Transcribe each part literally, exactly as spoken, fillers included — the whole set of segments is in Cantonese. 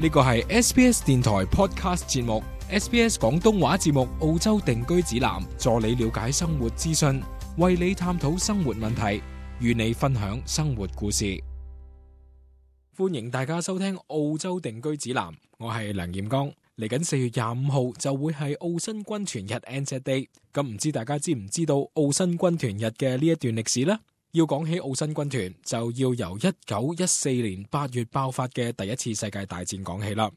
呢個係 S B S 電台 Podcast 節目 S B S 廣東話節目澳洲定居指南，助你了解生活資訊，為你探討生活問題，與你分享生活故事。歡迎大家收聽澳洲定居指南，我係梁彥剛。嚟緊四月廿五號就會係澳新軍團日 Anzac Day， 咁唔知大家知唔知道澳新軍團日嘅呢一段歷史呢？要講起澳新軍團，就要由一九一四年八月爆發嘅第一次世界大戰講起啦。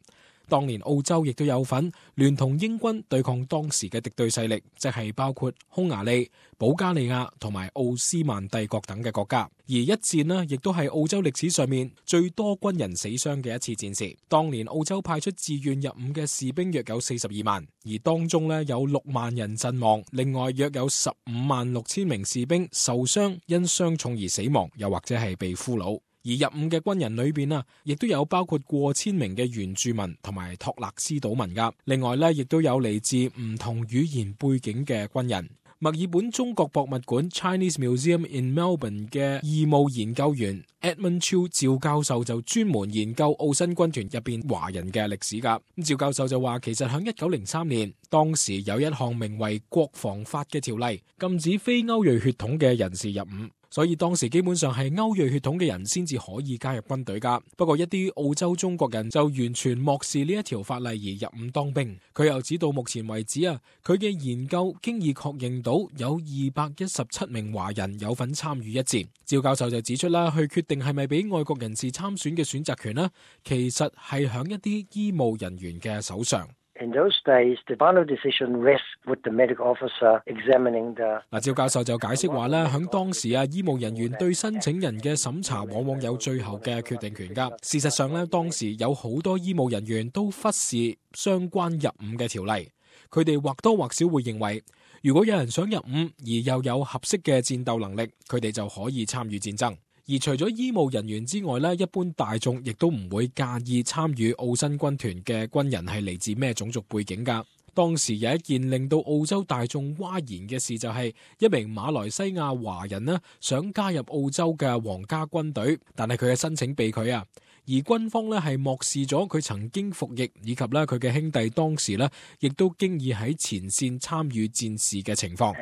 當年澳洲亦都有份聯同英軍對抗當時嘅敵對勢力，即係包括匈牙利、保加利亞同埋奧斯曼帝國等嘅國家。而一戰呢，亦都係澳洲歷史上面最多軍人死傷嘅一次戰事。當年澳洲派出自願入伍嘅士兵約有四十二萬，而當中呢有六萬人陣亡，另外約有十五萬六千名士兵受傷，因傷重而死亡，又或者係被俘虜。而入伍嘅軍人裏邊啊，亦都有包括過千名嘅原住民同埋托勒斯島民噶。另外咧，亦都有嚟自唔同語言背景嘅軍人。墨爾本中國博物館 Chinese Museum in Melbourne 嘅義務研究員 Edmund Chiu 趙教授就專門研究澳新軍團入邊華人嘅歷史噶。咁趙教授就話，其實響一九零三年，當時有一項名為國防法嘅條例，禁止非歐裔血統嘅人士入伍。所以當時基本上係歐裔血統嘅人先至可以加入軍隊噶。不過一啲澳洲中國人就完全漠視呢一條法例而入伍當兵。佢又指到目前為止啊，佢嘅研究經已確認到有二百一十七名華人有份參與一戰。趙教授就指出啦，去決定係咪俾外國人士參選嘅選擇權呢，其實係響一啲醫務人員嘅手上。In those days, the final decision rests with the medical officer examining the... 嗱，趙教授就解釋話咧，響當時啊，醫務人員對申請人嘅審查往往有最後嘅決定權噶。事實上咧，當時有好多醫務人員都忽視相關入伍嘅條例，佢哋或多或少會認為，如果有人想入伍而又有合適嘅戰鬥能力，佢哋就可以參與戰爭。而除咗醫務人員之外咧，一般大眾亦都唔會介意參與澳新軍團嘅軍人係嚟自咩種族背景噶。當時有一件令到澳洲大眾譁然嘅事，就係一名馬來西亞華人呢想加入澳洲嘅皇家軍隊，但係佢嘅申請被拒啊。而軍方呢係漠視咗佢曾經服役，以及咧佢嘅兄弟當時呢亦都經已喺前線參與戰事嘅情況。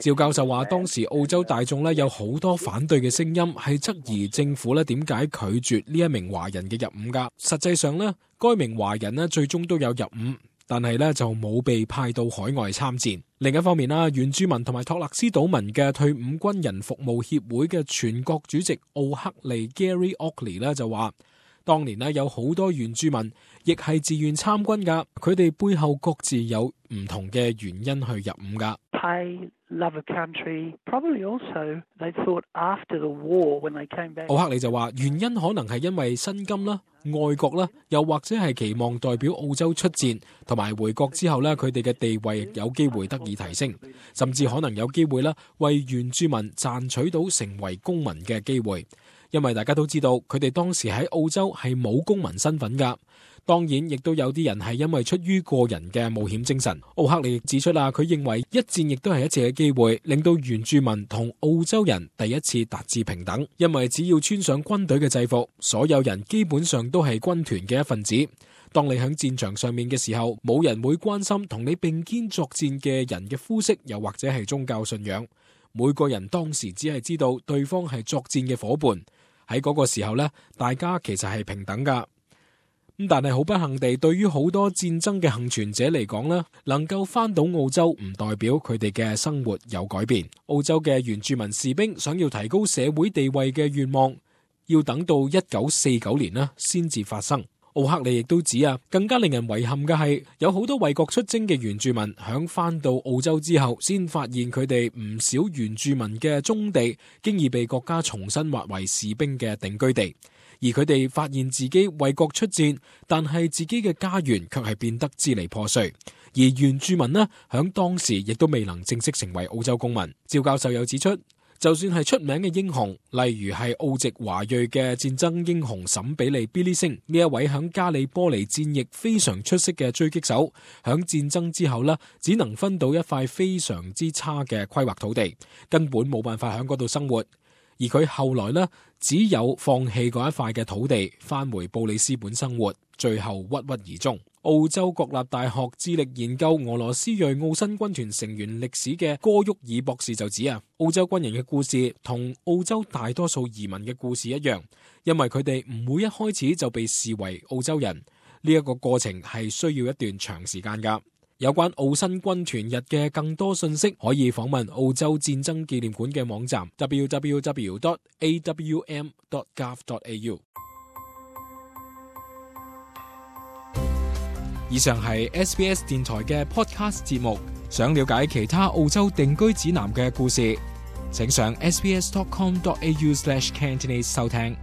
趙教授話，當時澳洲大眾呢有好多反對嘅聲音，係質疑政府呢點解拒絕呢一名華人嘅入伍噶。實際上呢，該名華人呢最終都有入伍，但係咧就冇被派到海外參戰。另一方面啦，原住民同埋托勒斯島民嘅退伍軍人服務協會嘅全國主席奧克利 Gary Oakley 咧就話，當年咧有好多原住民亦係自願參軍噶，佢哋背後各自有唔同嘅原因去入伍噶。Love a country, probably also they thought after the war when they came back. 奧克利就話，原因可能係因為薪金啦、愛國啦，又或者係期望代表澳洲出戰，同埋回國之後咧，佢哋嘅地位有機會得以提升，甚至可能有機會啦，為原住民賺取到成為公民嘅機會。因為大家都知道，佢哋當時喺澳洲係冇公民身份噶。當然，亦都有啲人係因為出於個人嘅冒險精神。奧克利亦指出啦，佢認為一戰亦都係一次嘅機會，令到原住民同澳洲人第一次達至平等。因為只要穿上軍隊嘅制服，所有人基本上都係軍團嘅一份子。當你喺戰場上面嘅時候，冇人會關心同你並肩作戰嘅人嘅膚色，又或者係宗教信仰。每個人當時只係知道對方係作戰嘅夥伴。喺嗰個時候呢，大家其實係平等噶。咁但係好不幸地，對於好多戰爭嘅幸存者嚟講呢，能夠翻到澳洲唔代表佢哋嘅生活有改變。澳洲嘅原住民士兵想要提高社會地位嘅願望，要等到一九四九年呢先至發生。奧克利亦都指啊，更加令人遺憾嘅係，有好多為國出征嘅原住民響翻到澳洲之後，先發現佢哋唔少原住民嘅宗地，經已被國家重新劃為士兵嘅定居地。而佢哋發現自己為國出戰，但係自己嘅家園卻係變得支離破碎。而原住民呢，響當時亦都未能正式成為澳洲公民。趙教授又指出，就算係出名嘅英雄，例如係澳籍華裔嘅戰爭英雄沈比利 Billy Singh 呢一位響加里波尼戰役非常出色嘅狙擊手，響戰爭之後呢，只能分到一塊非常之差嘅規劃土地，根本冇辦法響嗰度生活。而佢後來呢，只有放棄嗰一塊嘅土地，返回布里斯本生活，最後鬱鬱而終。澳洲國立大學致力研究俄羅斯裔澳新軍團成員歷史嘅戈沃爾博士就指啊，澳洲軍人嘅故事同澳洲大多數移民嘅故事一樣，因為佢哋唔會一開始就被視為澳洲人，呢一個過程係需要一段長時間㗎。有關澳新軍團日嘅更多信息，可以訪問澳洲戰爭紀念館嘅網站 double-u double-u double-u dot a w m dot gov dot a u。以上係 S B S 電台嘅 podcast 節目。想了解其他澳洲定居指南嘅故事，請上 s b s dot com dot a u slash cantonese 收聽。